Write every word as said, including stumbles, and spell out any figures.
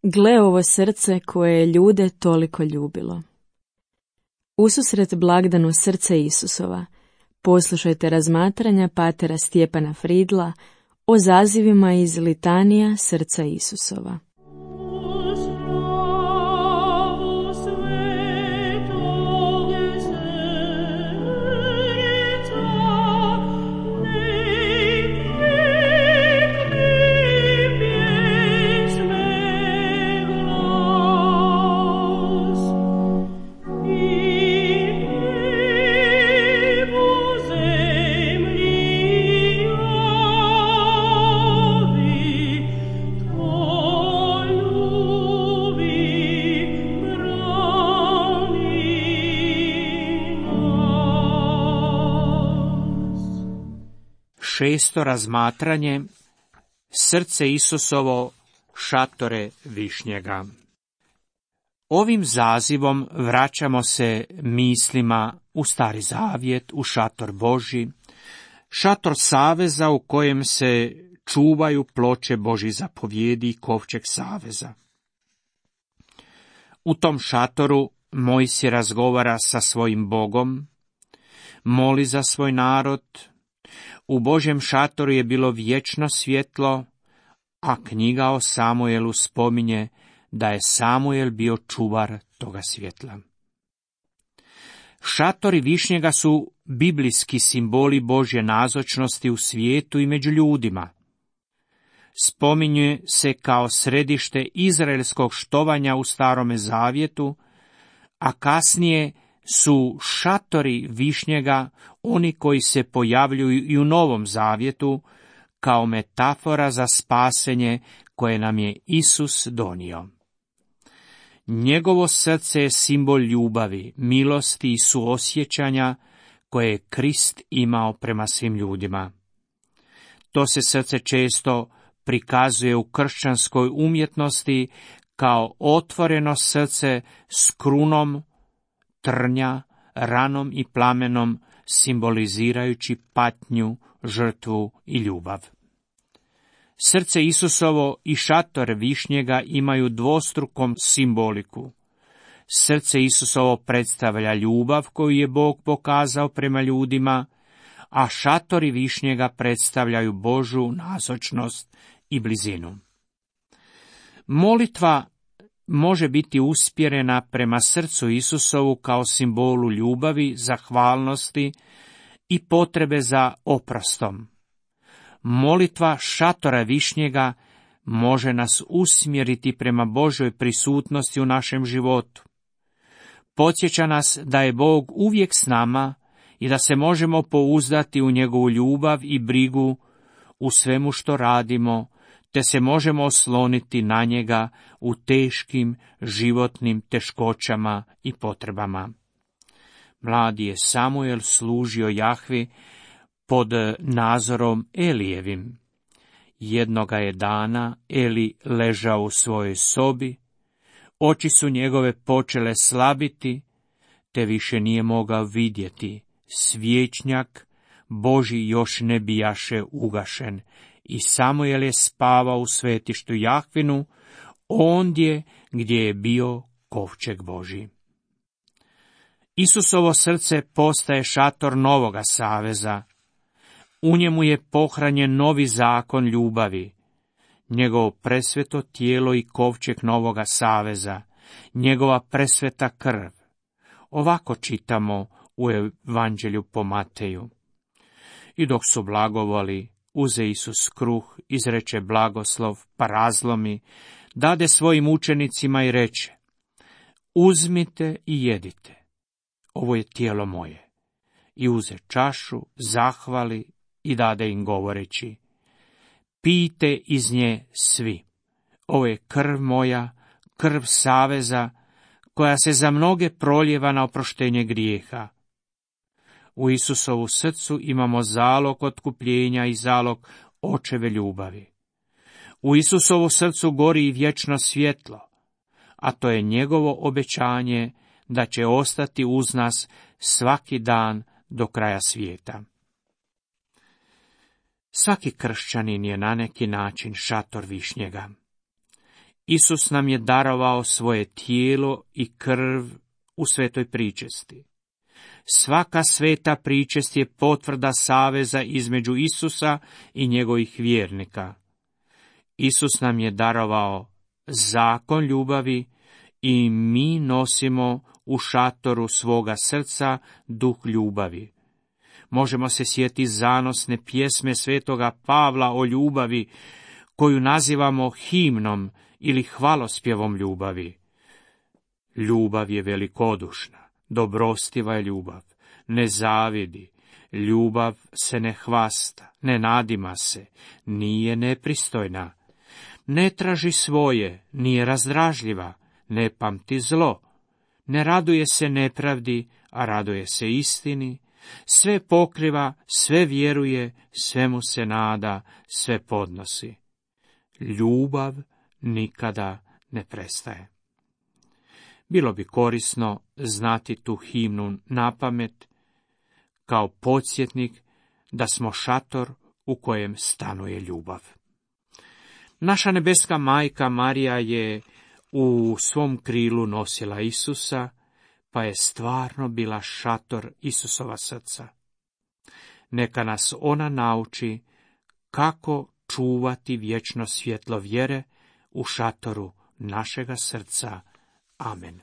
Gle ovo srce koje je ljude toliko ljubilo. Ususret blagdanu srce Isusova, poslušajte razmatranja patera Stjepana Fridla o zazivima iz litanija srca Isusova. Šesto razmatranje, srce Isusovo, šatore višnjega. Ovim zazivom vraćamo se mislima u Stari Zavjet, u šator Božji, šator saveza u kojem se čuvaju ploče Božjih zapovjedi i kovčeg saveza. U tom šatoru Mojsije razgovara sa svojim Bogom, moli za svoj narod. U Božjem šatoru je bilo vječno svjetlo, a knjiga o Samuelu spominje da je Samuel bio čuvar toga svjetla. Šatori višnjega su biblijski simboli Božje nazočnosti u svijetu i među ljudima. Spominje se kao središte izraelskog štovanja u Starome Zavjetu, a kasnije su šatori višnjega oni koji se pojavljuju i u Novom Zavjetu kao metafora za spasenje koje nam je Isus donio. Njegovo srce je simbol ljubavi, milosti i suosjećanja koje je Krist imao prema svim ljudima. To se srce često prikazuje u kršćanskoj umjetnosti kao otvoreno srce s krunom trnja, ranom i plamenom, simbolizirajući patnju, žrtvu i ljubav. Srce Isusovo i šator višnjega imaju dvostrukom simboliku. Srce Isusovo predstavlja ljubav koju je Bog pokazao prema ljudima, a šatori višnjega predstavljaju Božju nazočnost i blizinu. Molitva može biti usmjerena prema srcu Isusovu kao simbolu ljubavi, zahvalnosti i potrebe za oprostom. Molitva šatora višnjega može nas usmjeriti prema Božoj prisutnosti u našem životu. Podsjeća nas da je Bog uvijek s nama i da se možemo pouzdati u njegovu ljubav i brigu u svemu što radimo, te se možemo osloniti na njega u teškim životnim teškoćama i potrebama. Mladi je Samuel služio Jahvi pod nadzorom Elijevim. Jednoga je dana Eli ležao u svojoj sobi, oči su njegove počele slabiti, te više nije mogao vidjeti. Svječnjak Božji još ne bijaše ugašen i Samuel je spavao u svetištu Jahvinu, ondje gdje je bio kovčeg Božji. Isusovo srce postaje šator novoga saveza. U njemu je pohranjen novi zakon ljubavi, njegovo presveto tijelo i kovčeg novoga saveza, njegova presveta krv. Ovako čitamo u Evanđelju po Mateju. I dok su blagovali, uze Isus kruh, izreče blagoslov, pa razlomi, dade svojim učenicima i reče: uzmite i jedite, ovo je tijelo moje. I uze čašu, zahvali i dade im govoreći: pijte iz nje svi, ovo je krv moja, krv saveza, koja se za mnoge proljeva na oproštenje grijeha. U Isusovu srcu imamo zalog otkupljenja i zalog očeve ljubavi. U Isusovu srcu gori i vječno svjetlo, a to je njegovo obećanje da će ostati uz nas svaki dan do kraja svijeta. Svaki kršćanin je na neki način šator višnjega. Isus nam je darovao svoje tijelo i krv u svetoj pričesti. Svaka sveta pričest je potvrda saveza između Isusa i njegovih vjernika. Isus nam je darovao zakon ljubavi i mi nosimo u šatoru svoga srca duh ljubavi. Možemo se sjetiti zanosne pjesme svetoga Pavla o ljubavi, koju nazivamo himnom ili hvalospjevom ljubavi. Ljubav je velikodušna, dobrostiva je ljubav, ne zavidi, ljubav se ne hvasta, ne nadima se, nije nepristojna, ne traži svoje, nije razdražljiva, ne pamti zlo, ne raduje se nepravdi, a raduje se istini, sve pokriva, sve vjeruje, svemu se nada, sve podnosi. Ljubav nikada ne prestaje. Bilo bi korisno znati tu himnu napamet kao podsjetnik da smo šator u kojem stanuje ljubav. Naša nebeska majka Marija je u svom krilu nosila Isusa, pa je stvarno bila šator Isusova srca. Neka nas ona nauči kako čuvati vječno svjetlo vjere u šatoru našega srca. Amen.